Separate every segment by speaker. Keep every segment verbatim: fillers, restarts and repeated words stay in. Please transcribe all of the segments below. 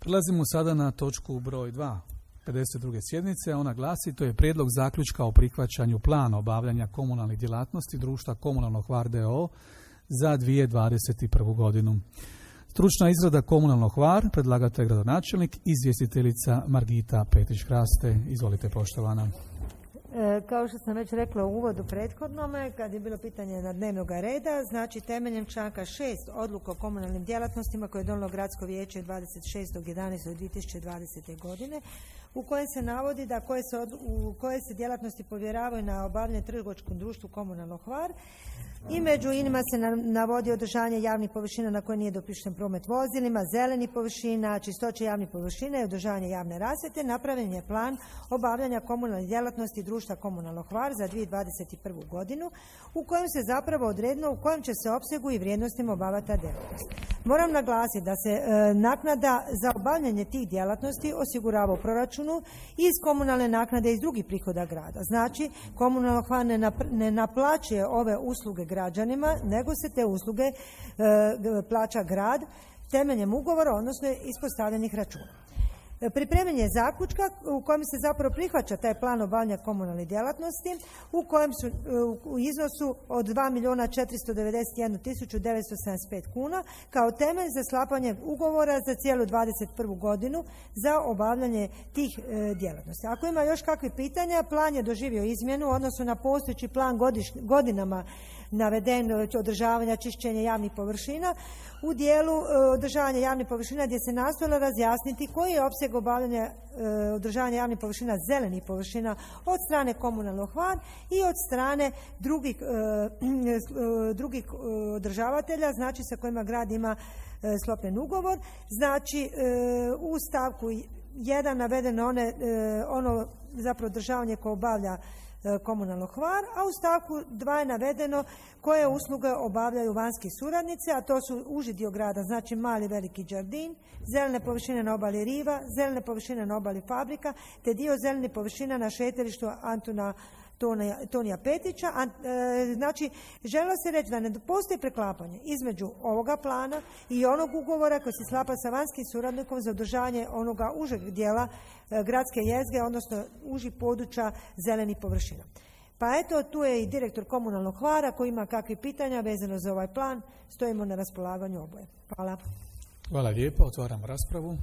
Speaker 1: Prelazimo sada na točku broj dva, pedeset druge sjednice. Ona glasi, to je prijedlog zaključka o prihvaćanju plana obavljanja komunalnih djelatnosti društva Komunalno Hvar d o o za dvije tisuće dvadeset prvu. godinu. Stručna izrada Komunalno Hvar, predlagatelj gradonačelnik, izvjestiteljica Margita Petić-Hraste. Izvolite, poštovana.
Speaker 2: Kao što sam već rekla u uvodu prethodnome, kad je bilo pitanje na dnevnog reda, znači temeljem članka šest odluka o komunalnim djelatnostima koje je donijelo Gradsko vijeće dvadeset šestog jedanaestog dvije tisuće dvadesete. godine, u kojem se navodi da koje se, od, u koje se djelatnosti povjeravaju na obavljanje trgovačkom društvu Komunalno Hvar, i među inima se navodi održavanje javnih površina na koje nije dopušten promet vozilima, zelenih površina, čistoće javnih površina i održavanje javne rasvjete. Napravljen je plan obavljanja komunalne djelatnosti društva Komunalno Hvar za dvije tisuće dvadeset prvu. godinu, u kojem se zapravo odredilo u kojem će se opsegu i vrijednostima obavljati ta djelatnost. Moram naglasiti da se e, naknada za obavljanje tih djelatnosti osigurava u proračunu iz komunalne naknade i iz drugih prihoda grada. Znači, Komunalno Hvar ne, nap, ne naplaćuje ove usluge građanima, nego se te usluge e, plaća grad temeljem ugovora, odnosno ispostavljenih računa. Pripremanje zaključka u kojem se zapravo prihvaća taj plan obavljanja komunalne djelatnosti, u kojem su u iznosu od dva milijuna četiristo devedeset jednu tisuću devetsto sedamdeset pet kuna kao temelj za sklapanje ugovora za cijelu dvadeset prvu. godinu za obavljanje tih e, djelatnosti. Ako ima još kakvih pitanja, plan je doživio izmjenu u odnosu na postojeći plan godiš, godinama naveden održavanja, čišćenja javnih površina u dijelu e, održavanja javnih površina, gdje se nastojalo razjasniti koji je opseg obavljanja e, održavanja javnih površina, zelenih površina od strane Komunalnog Hvar i od strane drugih, e, e, drugih održavatelja, znači sa kojima grad ima e, sklopljen ugovor. Znači e, u stavku jedan navedeno one, e, ono zapravo održavanje koje obavlja Komunalno Hvar, a u stavku dva je navedeno koje usluge obavljaju vanjski suradnici, a to su uži dio grada, znači mali veliki džardin, zelene površine na obali riva, zelene površine na obali fabrika, te dio zelenih površina na šetalištu Antuna Tonija, Tonija Petića. A, e, znači, željelo se reći da ne postoji preklapanje između ovoga plana i onog ugovora koji se sklapa sa vanjskim suradnikom za održavanje onoga užeg dijela e, gradske jezgre, odnosno užih područja zelenih površina. Pa eto, tu je i direktor Komunalnog Hvara koji ima kakvih pitanja vezano za ovaj plan, stojimo na raspolaganju oboje. Hvala.
Speaker 1: Hvala lijepo, otvaramo raspravu.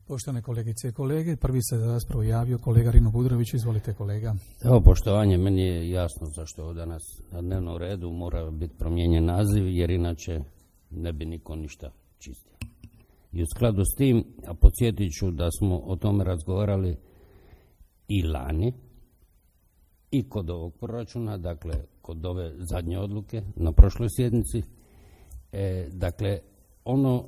Speaker 1: Poštovane kolegice i kolege, prvi se za raspravu javio kolega Rino Budrović. Izvolite, kolega.
Speaker 3: Evo, poštovanje, meni je jasno zašto je danas na dnevnom redu mora biti promijenjen naziv, jer inače ne bi niko ništa čistio. I u skladu s tim, a podsjetit ću da smo o tome razgovarali i lani, i kod ovog proračuna, dakle kod ove zadnje odluke na prošloj sjednici. E, dakle, ono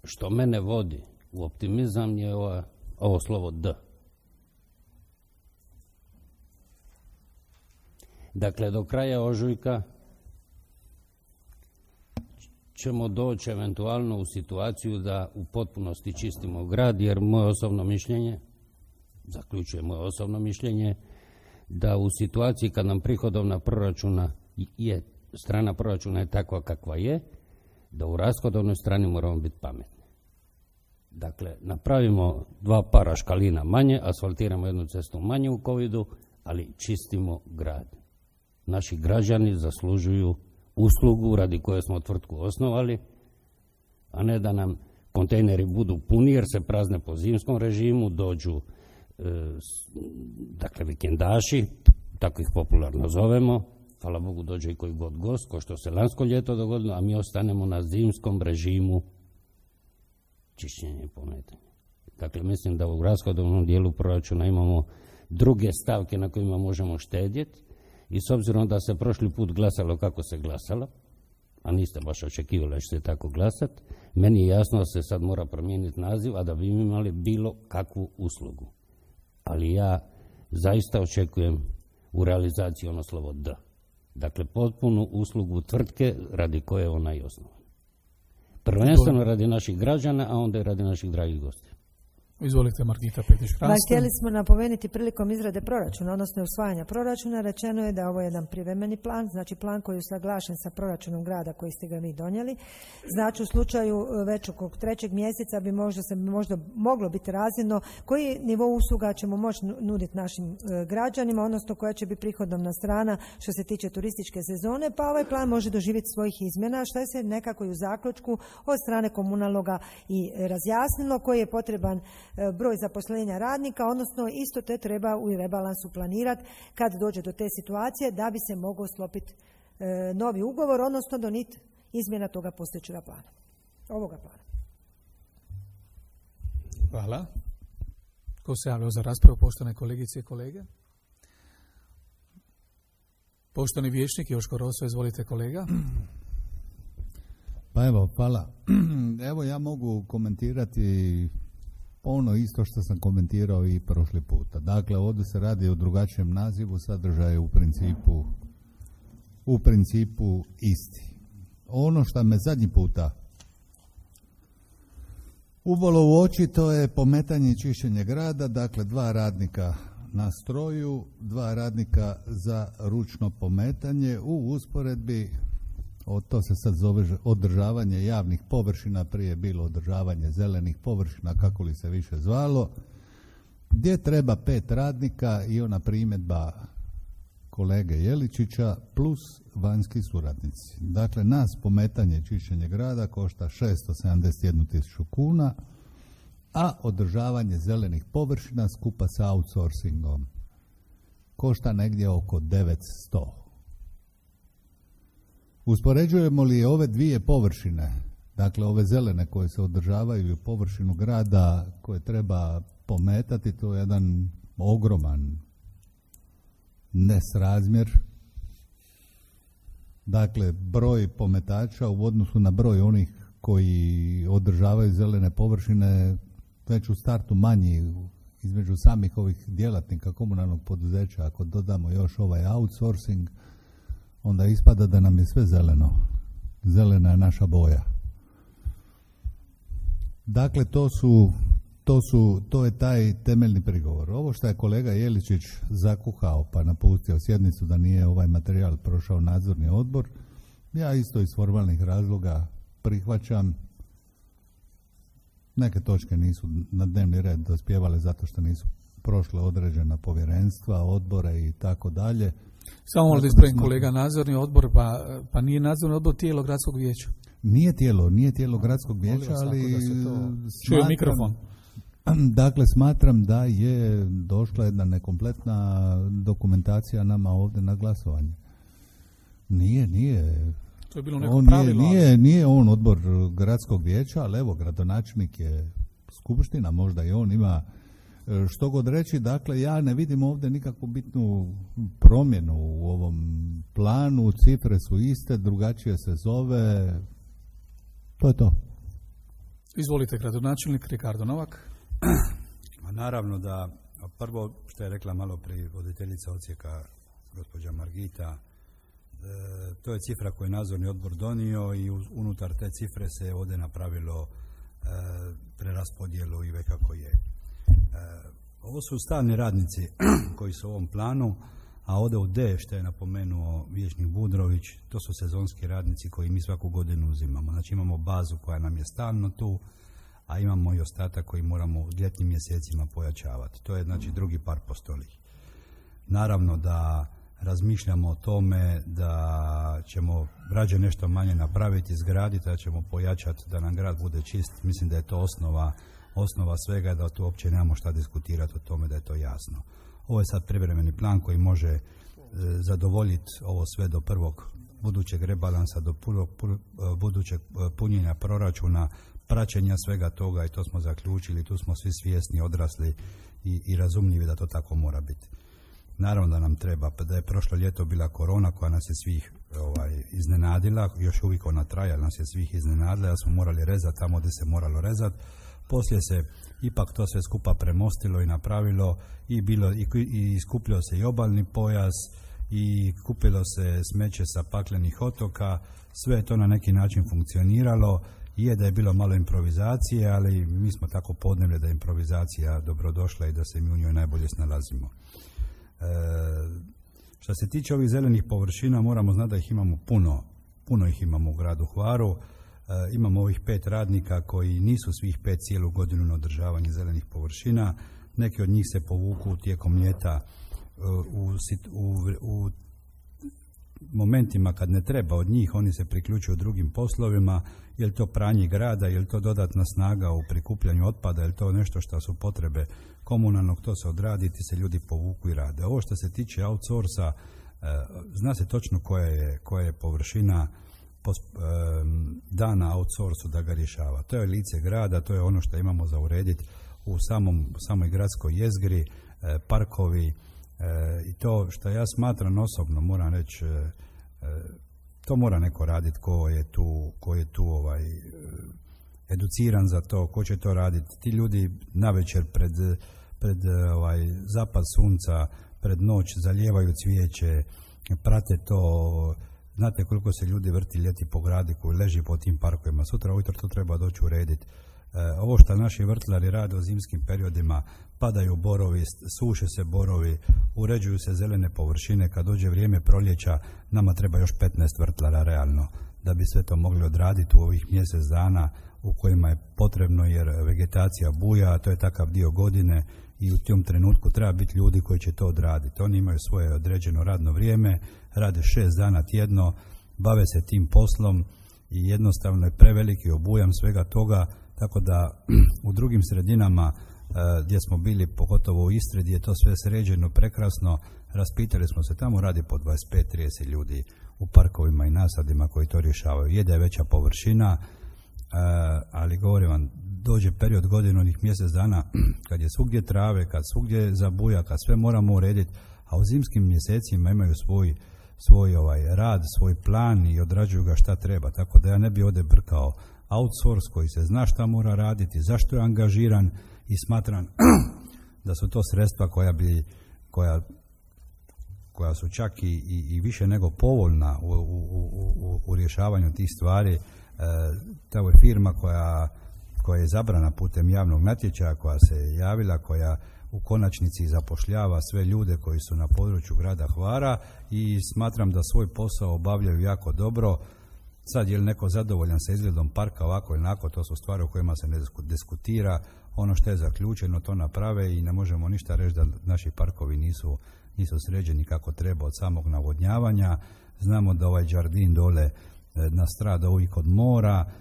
Speaker 3: što mene vodi u optimizam je ova, ovo slovo D. Dakle, do kraja ožujka ćemo doći eventualno u situaciju da u potpunosti čistimo grad, jer moje osobno mišljenje, zaključuje moje osobno mišljenje, da u situaciji kad nam prihodovna proračuna je, strana proračuna je takva kakva je, da u rashodovnoj strani moramo biti pametni. Dakle, napravimo dva para škalina manje, asfaltiramo jednu cestu manje u covidu, ali čistimo grad. Naši građani zaslužuju uslugu radi koje smo tvrtku osnovali, a ne da nam kontejneri budu puni jer se prazne po zimskom režimu, dođu e, dakle vikendaši, tako ih popularno zovemo, hvala Bogu dođe i koji god gost, ko što se lansko ljeto dogodilo, a mi ostanemo na zimskom režimu čišćenja i pometanja. Dakle, mislim da u rashodovnom dijelu proračuna imamo druge stavke na kojima možemo štedjeti i s obzirom da se prošli put glasalo kako se glasalo, a niste baš očekivali da će se tako glasati, meni je jasno da se sad mora promijeniti naziv, a da bi imali bilo kakvu uslugu. Ali ja zaista očekujem u realizaciji ono slovo D. Dakle, potpunu uslugu tvrtke radi koje je ona i osnovana. Prvenstveno radi naših građana, a onda i radi naših dragih gostiju.
Speaker 1: Izvolite, Margita Petić-Hrasto.
Speaker 2: Htjeli smo napomenuti prilikom izrade proračuna, odnosno usvajanja proračuna, rečeno je da ovo je jedan privremeni plan, znači plan koji je usaglašen sa proračunom grada koji ste ga vi donijeli. Znači u slučaju već oko trećeg mjeseca bi možda se možda moglo biti razvidno koji nivo usluga ćemo moći nuditi našim građanima, odnosno koja će biti prihodovna strana što se tiče turističke sezone, pa ovaj plan može doživjeti svojih izmjena, što je se nekako i u zaključku od strane komunalnoga i razjasnilo, koji je potreban broj zaposlenja radnika, odnosno isto te treba u rebalansu planirati kad dođe do te situacije da bi se mogao sklopiti e, novi ugovor, odnosno doniti izmjena toga postojećega plana, ovoga plana.
Speaker 1: Hvala. Ko se javljao za raspravu, poštovane kolegice i kolege? Poštovani vijećnik Joško Roso, izvolite kolega.
Speaker 4: Pa evo, hvala. Evo ja mogu komentirati ono isto što sam komentirao i prošli puta. Dakle, ovdje se radi o drugačijem nazivu, sadržaj u principu u principu isti. Ono što me zadnji puta ubolo u oči, to je pometanje i čišćenje grada, dakle dva radnika na stroju, dva radnika za ručno pometanje u usporedbi, o, to se sad zove održavanje javnih površina, prije je bilo održavanje zelenih površina, kako li se više zvalo, gdje treba pet radnika i ona primjedba kolege Jeličića plus vanjski suradnici. Dakle, nas pometanje i čišćenje grada košta šesto sedamdeset jednu tisuću kuna, a održavanje zelenih površina skupa sa outsourcingom košta negdje oko devetsto. Uspoređujemo li ove dvije površine, dakle ove zelene koje se održavaju u površinu grada koje treba pometati, to je jedan ogroman nesrazmjer. Dakle, broj pometača u odnosu na broj onih koji održavaju zelene površine već u startu manji između samih ovih djelatnika komunalnog poduzeća. Ako dodamo još ovaj outsourcing, onda ispada da nam je sve zeleno. Zelena je naša boja. Dakle, to su, to su, to je taj temeljni prigovor. Ovo što je kolega Jeličić zakuhao pa napustio sjednicu da nije ovaj materijal prošao nadzorni odbor, ja isto iz formalnih razloga prihvaćam. Neke točke nisu na dnevni red dospjevale zato što nisu prošle određena povjerenstva, odbore i tako dalje.
Speaker 1: Samo možda ispravim kolega, nadzorni odbor, pa, pa nije nadzorni odbor tijelo gradskog vijeća.
Speaker 4: Nije tijelo, nije tijelo gradskog vijeća, ali
Speaker 1: čuje mikrofon.
Speaker 4: Dakle, smatram da je došla jedna nekompletna dokumentacija nama ovdje na glasovanje. Nije, nije.
Speaker 1: To je bilo neko
Speaker 4: on
Speaker 1: pravilo.
Speaker 4: Nije, nije, nije on odbor gradskog vijeća, ali evo, gradonačelnik je skupština, možda i on ima što god reći. Dakle, ja ne vidim ovdje nikakvu bitnu promjenu u ovom planu, cifre su iste, drugačije se zove, to je to.
Speaker 1: Izvolite, gradonačelnik Ricardo Novak.
Speaker 5: Naravno da prvo što je rekla malo prije voditeljica odsjeka gospođa Margita, e, to je cifra koju je nadzorni odbor donio i unutar te cifre se ovdje napravilo e, preraspodjelu i već kako je. E, ovo su stalni radnici koji su u ovom planu, a ovdje u D, što je napomenuo vijećnik Budrović, to su sezonski radnici koji mi svaku godinu uzimamo. Znači imamo bazu koja nam je stalno tu, a imamo i ostatak koji moramo u ljetnim mjesecima pojačavati. To je znači drugi par postolih. Naravno da razmišljamo o tome da ćemo rađe nešto manje napraviti, izgraditi, da ćemo pojačati da nam grad bude čist. Mislim da je to osnova, osnova svega, da tu uopće nemamo šta diskutirati o tome, da je to jasno. Ovo je sad privremeni plan koji može e, zadovoljiti ovo sve do prvog budućeg rebalansa, do prvog budućeg punjenja proračuna, praćenja svega toga, i to smo zaključili, tu smo svi svjesni, odrasli i, i razumljivi da to tako mora biti. Naravno da nam treba, da je prošlo ljeto bila korona koja nas je svih ovaj, iznenadila, još uvijek ona traja, nas je svih iznenadila, da smo morali rezati tamo gdje se moralo rezati. Poslije se ipak to sve skupa premostilo i napravilo i bilo i, i iskupljio se i obalni pojas i kupilo se smeće sa paklenih otoka, sve je to na neki način funkcioniralo Je da je bilo malo improvizacije, ali mi smo tako podnevlje da je improvizacija dobrodošla i da se mi u njoj najbolje snalazimo. E, što se tiče ovih zelenih površina, moramo znati da ih imamo puno, puno ih imamo u gradu Hvaru. E, imamo ovih pet radnika koji nisu svih pet cijelu godinu na održavanje zelenih površina. Neki od njih se povuku tijekom ljeta u, u, u momentima kad ne treba od njih, oni se priključuju drugim poslovima, je li to pranje grada, je li to dodatna snaga u prikupljanju otpada, je li to nešto što su potrebe komunalnog, to se odradi, ti se ljudi povuku i rade. Ovo što se tiče outsourca, zna se točno koja je, koja je površina dana outsourcu da ga rješava. To je lice grada, to je ono što imamo za urediti u samom, samoj gradskoj jezgri, parkovi, E, i to što ja smatram osobno, moram reći, e, e, to mora neko raditi ko je tu, ko je tu ovaj, educiran za to, ko će to raditi. Ti ljudi navečer pred, pred ovaj, zapad sunca, pred noć zalijevaju cvijeće, prate to. Znate koliko se ljudi vrti ljeti po gradu koji leži po tim parkovima. Sutra ujutro to treba doći urediti. Ovo što naši vrtlari rade u zimskim periodima, padaju borovi, suše se borovi, uređuju se zelene površine, kad dođe vrijeme proljeća, nama treba još petnaest vrtlara realno, da bi sve to mogli odraditi u ovih mjesec dana u kojima je potrebno, jer vegetacija buja, a to je takav dio godine i u tom trenutku treba biti ljudi koji će to odraditi. Oni imaju svoje određeno radno vrijeme, rade šest dana tjedno, bave se tim poslom i jednostavno je preveliki obujam svega toga. Tako da u drugim sredinama e, gdje smo bili, pogotovo u Istri, gdje je to sve sređeno prekrasno, raspitali smo se, tamo radi po dvadeset pet trideset ljudi u parkovima i nasadima koji to rješavaju. Je da je veća površina, e, ali govorim vam, dođe period godine onih mjesec dana kad je svugdje trave, kad svugdje zabuja, kad sve moramo urediti, a u zimskim mjesecima imaju svoj, svoj ovaj rad, svoj plan i odrađuju ga šta treba. Tako da ja ne bi ovdje brkao outsource koji se zna šta mora raditi, zašto je angažiran i smatram da su to sredstva koja bi, koja, koja su čak i, i, i više nego povoljna u, u, u, u rješavanju tih stvari. E, to je firma koja, koja je zabrana putem javnog natječaja, koja se javila, koja u konačnici zapošljava sve ljude koji su na području grada Hvara i smatram da svoj posao obavljaju jako dobro. Sad je li neko zadovoljan sa izgledom parka ovako ili onako, to su stvari o kojima se ne diskutira. Ono što je zaključeno to naprave i ne možemo ništa reći da naši parkovi nisu, nisu sređeni kako treba od samog navodnjavanja. Znamo da ovaj džardin dole nastrada uvijek od mora,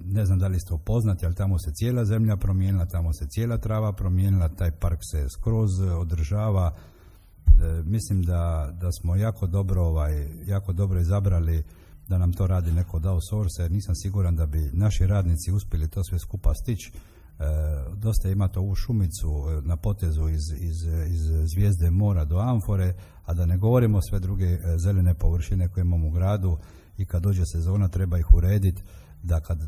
Speaker 5: ne znam da li ste upoznati, ali tamo se cijela zemlja promijenila, tamo se cijela trava promijenila, taj park se skroz održava. Mislim da, da smo jako dobro, ovaj, jako dobro izabrali da nam to radi neko od outsource, jer nisam siguran da bi naši radnici uspjeli to sve skupa stići. E, dosta imate ovu šumicu na potezu iz, iz, iz Zvijezde mora do Amfore, a da ne govorimo sve druge zelene površine koje imamo u gradu i kad dođe sezona treba ih urediti, da kad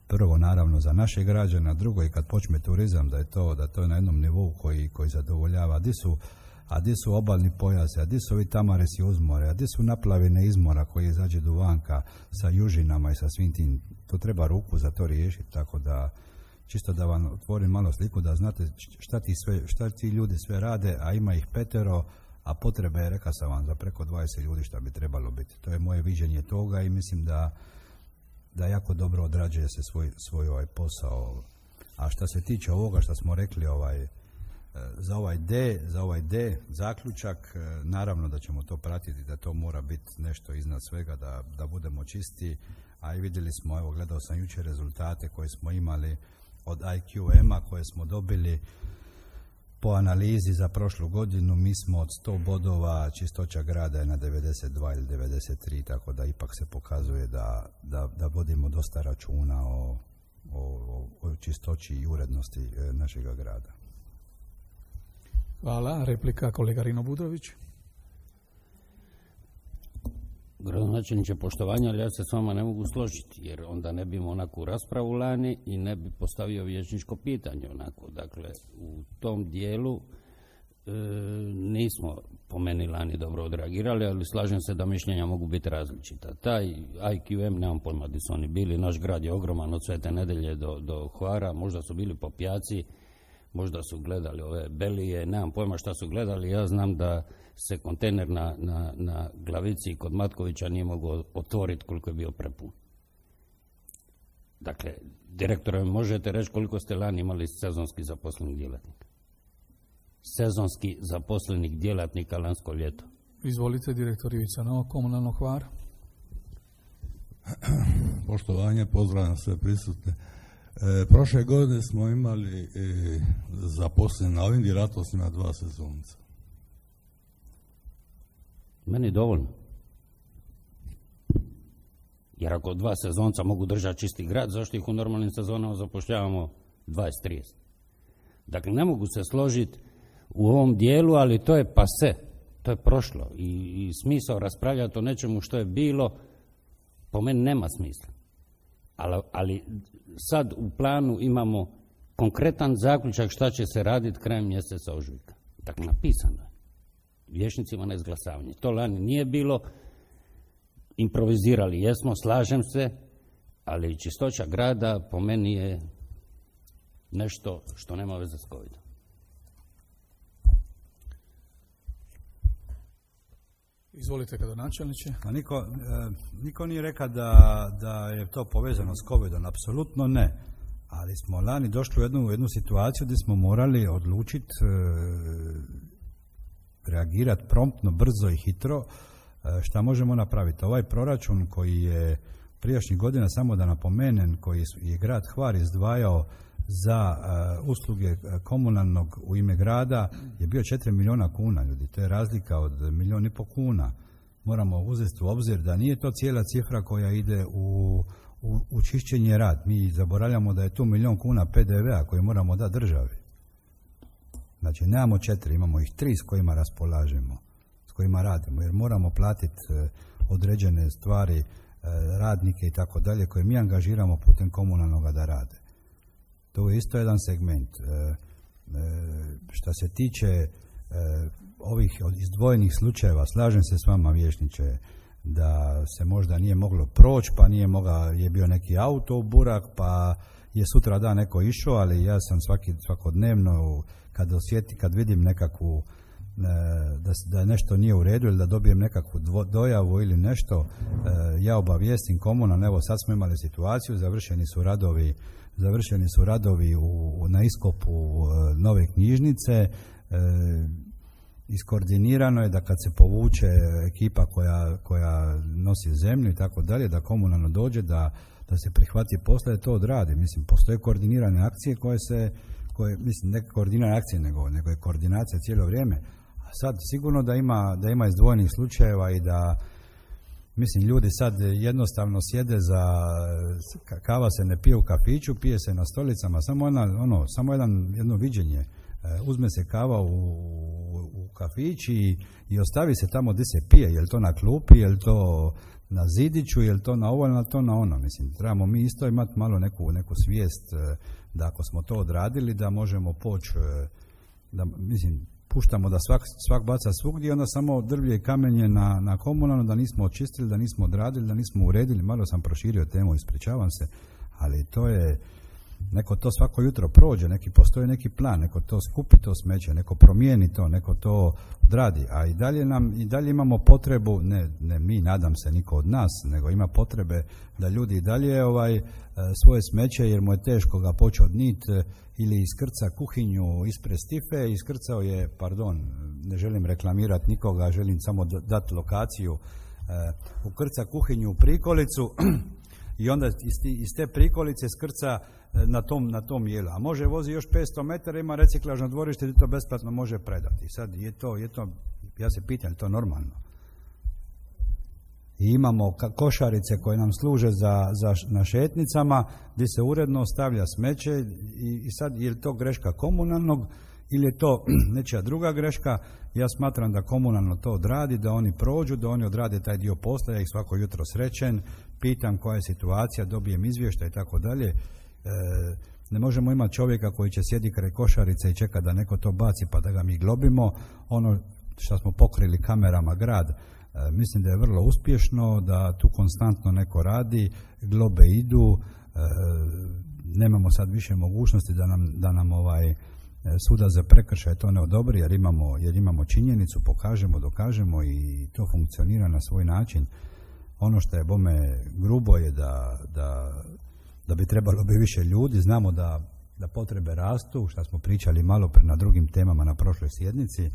Speaker 5: prvo naravno za naše građane, a drugo i kad počne turizam, da je to, da to je na jednom nivou koji, koji zadovoljava. Di su a gdje su obalni pojase, a gdje su ovi tamaresi uzmore, a gdje su naplavine izmora koji izađe do vanka sa južinama i sa svim tim, to treba ruku za to riješiti, tako da čisto da vam otvorim malo sliku da znate šta ti, sve, šta ti ljudi sve rade, a ima ih petero, a potrebe je, rekao sam vam, za preko dvadeset ljudi šta bi trebalo biti. To je moje viđenje toga i mislim da, da jako dobro odrađuje se svoj, svoj ovaj posao. A što se tiče ovoga što smo rekli, ovaj za ovaj D, za ovaj D zaključak, naravno da ćemo to pratiti, da to mora biti nešto iznad svega, da, da budemo čisti, a i vidjeli smo, evo gledao sam jučer rezultate koje smo imali od I Q M-a koje smo dobili po analizi za prošlu godinu. Mi smo od sto bodova, čistoća grada je na devedeset dva ili devedeset tri, tako da ipak se pokazuje da, da, da vodimo dosta računa o, o, o čistoći i urednosti našega grada.
Speaker 1: Hvala. Replika kolega Rino Budrović.
Speaker 3: Gradonačelniče, poštovanja, ali ja se s vama ne mogu složiti, jer onda ne bi imao onakvu raspravu lani i ne bi postavio vijećničko pitanje onako. Dakle, u tom dijelu e, nismo po meni lani dobro odreagirali, ali slažem se da mišljenja mogu biti različita. Taj I Q M, nemam pojma gdje su oni bili, naš grad je ogroman od Svete Nedelje do, do Hvara, možda su bili po pijaci, možda su gledali ove belije, nemam pojma šta su gledali, ja znam da se kontejner na, na, na Glavici kod Matkovića nije mogao otvoriti koliko je bio prepun. Dakle, direktore, možete reći koliko ste lani imali sezonski zaposlenih djelatnika? Sezonski zaposlenih djelatnika lansko ljeto.
Speaker 1: Izvolite, direktor Ivica Novak, komunalno Hvar.
Speaker 6: Poštovanje, pozdravljam sve prisutne. E, prošle godine smo imali e, zaposleni na ovim djelatnostima dva sezonca.
Speaker 3: Meni dovoljno. Jer ako dva sezonca mogu držati čisti grad, zašto ih u normalnim sezonama zapošljavamo dvadeset trideset? Dakle, ne mogu se složiti u ovom dijelu, ali to je pase, to je prošlo. I, i smisao raspravljati o nečemu što je bilo, po meni nema smisla. Ali, ali sad u planu imamo konkretan zaključak šta će se raditi krajem mjeseca ožujka. Dakle, napisano je. Vijećnicima na izglasavanje. To lani nije bilo, improvizirali jesmo, slažem se, ali čistoća grada po meni je nešto što nema veze s covidom.
Speaker 1: Izvolite, gradonačelniče.
Speaker 5: Pa niko, e, niko nije rekao da, da je to povezano s covidom, apsolutno ne. Ali smo lani došli u jednu, u jednu situaciju gdje smo morali odlučiti e, reagirati promptno, brzo i hitro e, šta možemo napraviti. Ovaj proračun koji je prijašnjih godina, samo da napomenem, koji je grad Hvar izdvajao za uh, usluge komunalnog u ime grada je bio četiri milijuna kuna, ljudi. To je razlika od milijun i po kuna. Moramo uzeti u obzir da nije to cijela cifra koja ide u, u, u čišćenje rad. Mi zaboravljamo da je tu milijun kuna P D V-a koji moramo dati državi. Znači, nemamo četiri, imamo ih tri s kojima raspolažemo, s kojima radimo, jer moramo platiti uh, određene stvari, uh, radnike i tako dalje, koje mi angažiramo putem komunalnoga da rade. To je isto jedan segment. E, e, što se tiče e, ovih izdvojenih slučajeva, slažem se s vama, vijećniče, da se možda nije moglo proći, pa nije mogao, je bio neki auto u burak, pa je sutra dan neko išao, ali ja sam svaki, svakodnevno, kad osjeti, kad vidim nekakvu, e, da, da nešto nije u redu ili da dobijem nekakvu dvo, dojavu ili nešto, e, ja obavijestim komunalno. Evo, sad smo imali situaciju, završeni su radovi Završeni su radovi u, na iskopu e, nove knjižnice. E, iskoordinirano je da kad se povuče ekipa koja, koja nosi zemlju i tako dalje, da komunalno dođe, da, da se prihvati posla i to odradi. Mislim, postoje koordinirane akcije koje se, koje, mislim, ne koordinirane akcije, nego, nego je koordinacija cijelo vrijeme. A sad sigurno da ima, da ima izdvojenih slučajeva i da, mislim, ljudi sad jednostavno sjede za, kava se ne pije u kafiću, pije se na stolicama, samo, jedna, ono, samo jedan, jedno viđenje. E, uzme se kava u, u kafić i, i ostavi se tamo gdje se pije, je li to na klupi, je li to na zidiću, je li to na ovo, je li to na ono. Mislim, trebamo mi isto imati malo neku, neku svijest da ako smo to odradili, da možemo poći, da, mislim, puštamo da svak, svak baca svugdje, onda samo drvlje i kamenje na, na komunalno, da nismo očistili, da nismo odradili, da nismo uredili. Malo sam proširio temu, ispričavam se, ali to je, neko to svako jutro prođe, neki postoji neki plan, neko to skupi to smeće, neko promijeni to, neko to odradi, a i dalje nam, i dalje imamo potrebu, ne, ne mi, nadam se, niko od nas, nego ima potrebe da ljudi i dalje ovaj, svoje smeće, jer mu je teško ga počeo odnit, ili iskrca kuhinju ispred stife, iskrcao je, pardon, ne želim reklamirati nikoga, želim samo dati lokaciju, uh, ukrca kuhinju u prikolicu i onda iz, iz te prikolice skrca na tom, na tom jelu. A može vozi još petsto metara, ima reciklažno dvorište gdje to besplatno može predati. Sad je to, je to, ja se pitam, je to normalno? I imamo košarice koje nam služe za, za na šetnicama gdje se uredno ostavlja smeće i, i sad je li to greška komunalnog ili je to nečija druga greška? Ja smatram da komunalno to odradi, da oni prođu, da oni odrade taj dio posla, ja ih svako jutro srećen, pitam koja je situacija, dobijem izvještaj i tako dalje. Ne možemo imati čovjeka koji će sjedi kraj košarice i čeka da neko to baci pa da ga mi globimo. Ono što smo pokrili kamerama grad, e, mislim da je vrlo uspješno, da tu konstantno neko radi, globe idu, e, nemamo sad više mogućnosti da nam, da nam ovaj suda za prekršaj to ne odobri, jer imamo, jer imamo činjenicu, pokažemo, dokažemo i to funkcionira na svoj način. Ono što je bome grubo je da, da, da bi trebalo bi više ljudi, znamo da, da potrebe rastu, što smo pričali malo pre na drugim temama na prošloj sjednici,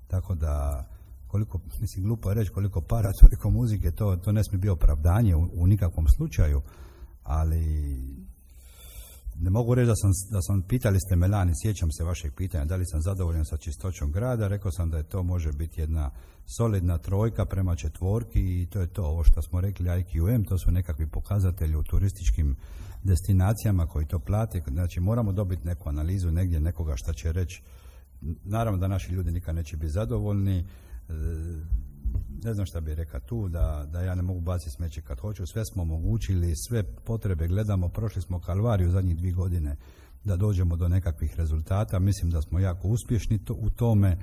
Speaker 5: tako da koliko, mislim glupo je reći koliko para, toliko muzike, to, to ne smije biti opravdanje u, u nikakvom slučaju, ali ne mogu reći da sam, da sam, pitali ste me lani, sjećam se vašeg pitanja, da li sam zadovoljan sa čistoćom grada, rekao sam da je to može biti jedna solidna trojka prema četvorki i to je to, ovo što smo rekli I Q M, to su nekakvi pokazatelji u turističkim destinacijama koji to plate, znači moramo dobiti neku analizu negdje, nekoga šta će reći, naravno da naši ljudi nikad neće biti zadovoljni, ne znam šta bih rekao tu, da, da ja ne mogu baciti smeće kad hoću, sve smo omogućili, sve potrebe gledamo, prošli smo kalvariju zadnjih dvije godine da dođemo do nekakvih rezultata, mislim da smo jako uspješni to, u tome,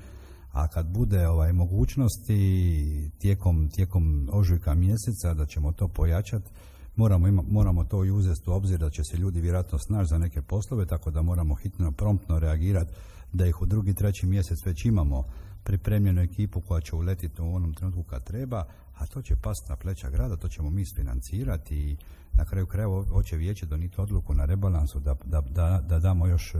Speaker 5: a kad bude ovaj mogućnosti tijekom, tijekom ožujka mjeseca da ćemo to pojačati, moramo, ima, moramo to i uzeti u obzir da će se ljudi vjerojatno snaći za neke poslove, tako da moramo hitno, promptno reagirati da ih u drugi, treći mjesec već imamo pripremljenu ekipu koja će uletiti u onom trenutku kad treba, a to će pasti na pleća grada, to ćemo mi isfinancirati i na kraju krajeva hoće vijeće donijeti odluku na rebalansu da, da, da, da damo još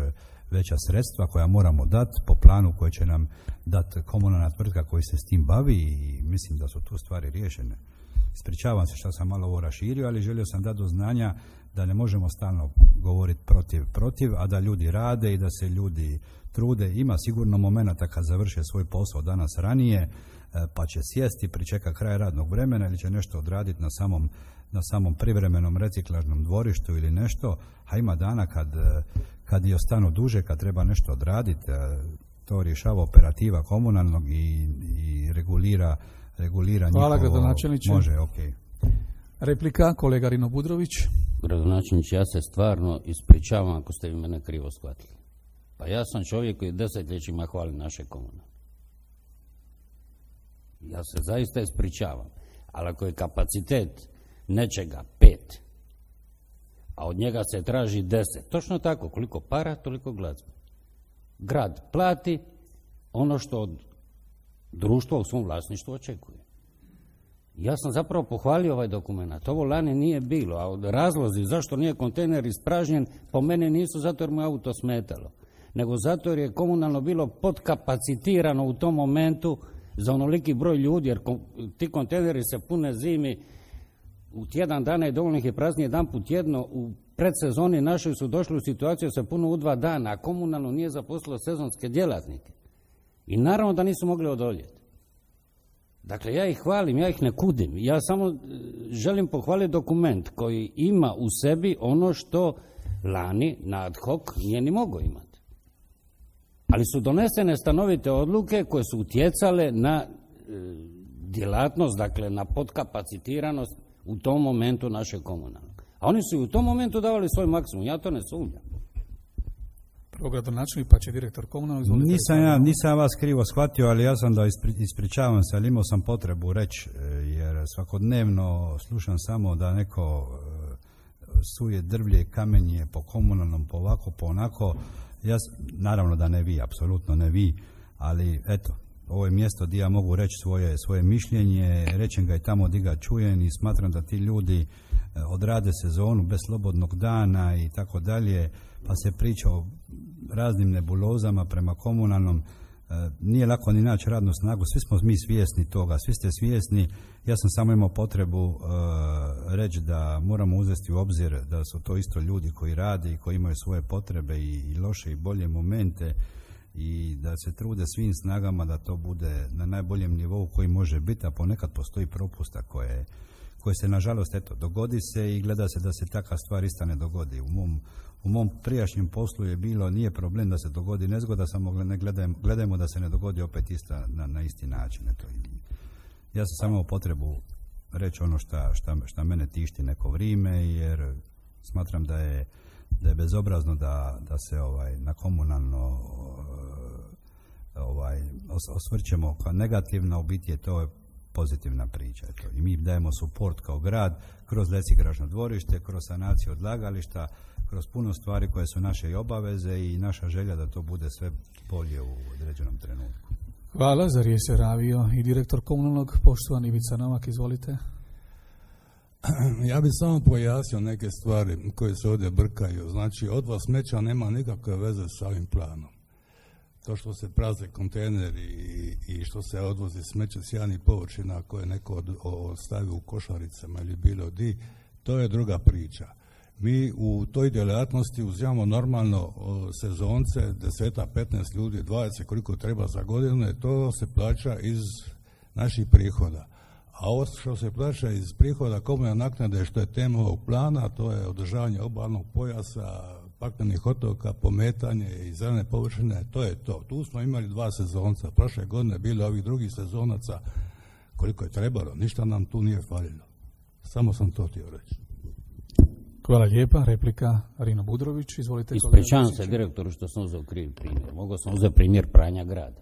Speaker 5: veća sredstva koja moramo dati po planu koje će nam dati komunalna tvrtka koji se s tim bavi i mislim da su tu stvari riješene. Ispričavam se što sam malo ovo raširio, ali želio sam dati do znanja da ne možemo stalno govoriti protiv, protiv, a da ljudi rade i da se ljudi trude. Ima sigurno momenata kad završe svoj posao danas ranije, pa će sjesti, pričeka kraj radnog vremena ili će nešto odraditi na samom, na samom privremenom reciklažnom dvorištu ili nešto, a ima dana kad, kad i ostanu duže, kad treba nešto odraditi, to rješava operativa komunalnog i, i regulira, regulira
Speaker 1: Hvala,
Speaker 5: njihovo...
Speaker 1: gradonačelniče.
Speaker 5: Može, ok.
Speaker 1: Replika, kolega Rino Budrović.
Speaker 3: Gradonačelniče, ja se stvarno ispričavam ako ste vi mene krivo shvatili. Pa ja sam čovjek koji desetljećima hvali naše komune. Ja se zaista ispričavam. Ali ako je kapacitet nečega pet, a od njega se traži deset, točno tako, koliko para, toliko glazbe. Grad plati ono što od društva u svom vlasništvu očekuje. Ja sam zapravo pohvalio ovaj dokument. Ovo lani nije bilo, a od razlozi zašto nije kontejner ispražnjen po mene nisu zato jer mu je auto smetalo, nego zato jer je komunalno bilo podkapacitirano u tom momentu za onoliki broj ljudi, jer ti kontejneri se pune zimi, u tjedan dana i dovoljno ih je prazni jedan put tjedno, u predsezoni našoj su došli u situaciju da se puno u dva dana, a komunalno nije zaposlilo sezonske djelatnike. I naravno da nisu mogli odoljeti. Dakle, ja ih hvalim, ja ih ne kudim. Ja samo želim pohvaliti dokument koji ima u sebi ono što lani na ad hoc nije ni mogao imati. Ali su donesene stanovite odluke koje su utjecale na e, djelatnost, dakle na podkapacitiranost u tom momentu naše komunalne. A oni su i u tom momentu davali svoj maksimum, ja to ne sumnjam.
Speaker 1: Prvo gradonačelnik, pa će direktor komunalnog.
Speaker 5: Nisam ja, nisam vas krivo shvatio, ali ja sam da ispri, ispričavam se, ali imao sam potrebu reći, jer svakodnevno slušam samo da neko suje drvlje i kamenje po komunalnom, po ovako, po onako. Ja, naravno da ne vi, apsolutno ne vi, ali eto, ovo je mjesto gdje ja mogu reći svoje, svoje mišljenje, rečem ga i tamo gdje ga čujem i smatram da ti ljudi odrade sezonu bez slobodnog dana i tako dalje, pa se priča o raznim nebulozama prema komunalnom. Nije lako ni naći radnu snagu, svi smo mi svjesni toga, svi ste svjesni. Ja sam samo imao potrebu uh, reći da moramo uzeti u obzir da su to isto ljudi koji rade i koji imaju svoje potrebe i, i loše i bolje momente i da se trude svim snagama da to bude na najboljem nivou koji može biti, a ponekad postoji propusta koje, koje se nažalost eto dogodi se i gleda se da se takva stvar ista ne dogodi. U mom U mom prijašnjem poslu je bilo, nije problem da se dogodi nezgoda, samo ne gledajmo, gledajmo da se ne dogodi opet ista, na, na isti način. Eto. Ja sam samo potrebu reći ono šta, šta, šta mene tišti neko vrijeme, jer smatram da je, da je bezobrazno da, da se ovaj, na komunalno ovaj, os, osvrćemo kao negativno, u biti je to pozitivna priča. Eto. I mi dajemo suport kao grad kroz reciklažno dvorište, kroz sanaciju odlagališta, kroz puno stvari koje su naše i obaveze i naša želja da to bude sve bolje u određenom trenutku.
Speaker 1: Hvala, za riječ se javio i direktor komunalnog, poštovani Ivica Novak, izvolite.
Speaker 6: Ja bih samo pojasnio neke stvari koje se ovdje brkaju. Znači, odvoz smeća nema nikakve veze sa ovim planom. To što se prazne kontejneri i, i što se odvozi smeće s javnih površina koje neko od, ostavi u košaricama ili bilo di, to je druga priča. Mi u toj djelatnosti uzimamo normalno o, sezonce, deseta, petnaest ljudi, dvadeset koliko treba za godinu, to se plaća iz naših prihoda. A ovo što se plaća iz prihoda komunalne naknade, što je tema ovog plana, to je održavanje obalnog pojasa, paklenih otoka, pometanje i zelene površine, to je to. Tu smo imali dva sezonca, prošle godine bilo ovih drugih sezonaca koliko je trebalo, ništa nam tu nije falilo. Samo sam to htio reći.
Speaker 1: Hvala lijepa, replika Rino Budrović, izvolite.
Speaker 3: Ispričavam se direktoru što sam uzeo krivi primjer, mogao sam uzeti primjer pranja grada.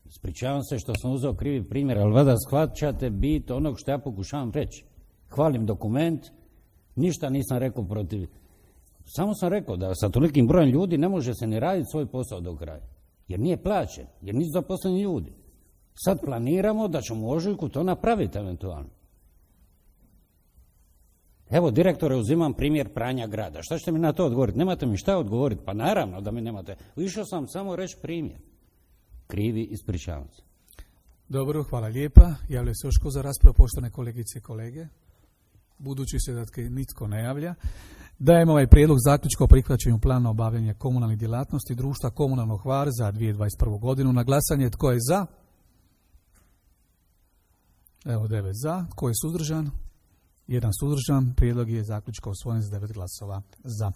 Speaker 3: Ispričavam se što sam uzeo krivi primjer, ali vada shvaćate bit onog što ja pokušavam reći. Hvalim dokument, ništa nisam rekao protiv. Samo sam rekao da sa tolikim brojem ljudi ne može se ni raditi svoj posao do kraja. Jer nije plaćen, jer nisu zaposleni ljudi. Sad planiramo da ćemo u ožujku to napraviti eventualno. Evo, direktore, uzimam primjer pranja grada. Šta ćete mi na to odgovoriti? Nemate mi šta odgovoriti? Pa naravno da mi nemate. Išao sam samo reći primjer. Krivi, ispričavam se.
Speaker 1: Dobro, hvala lijepa. Javlja se još ko za raspravu, poštovane kolegice i kolege. Budući se da nitko ne javlja, dajemo ovaj prijedlog zaključka o prihvaćanju plana obavljanja komunalnih djelatnosti društva Komunalno Hvar za dvije tisuće dvadeset prvu godinu. Na glasanje tko je za? Evo devet za. Tko je suzdržan? Jedan suzdržan. Prijedlog je zaključka usvojen s devet glasova za.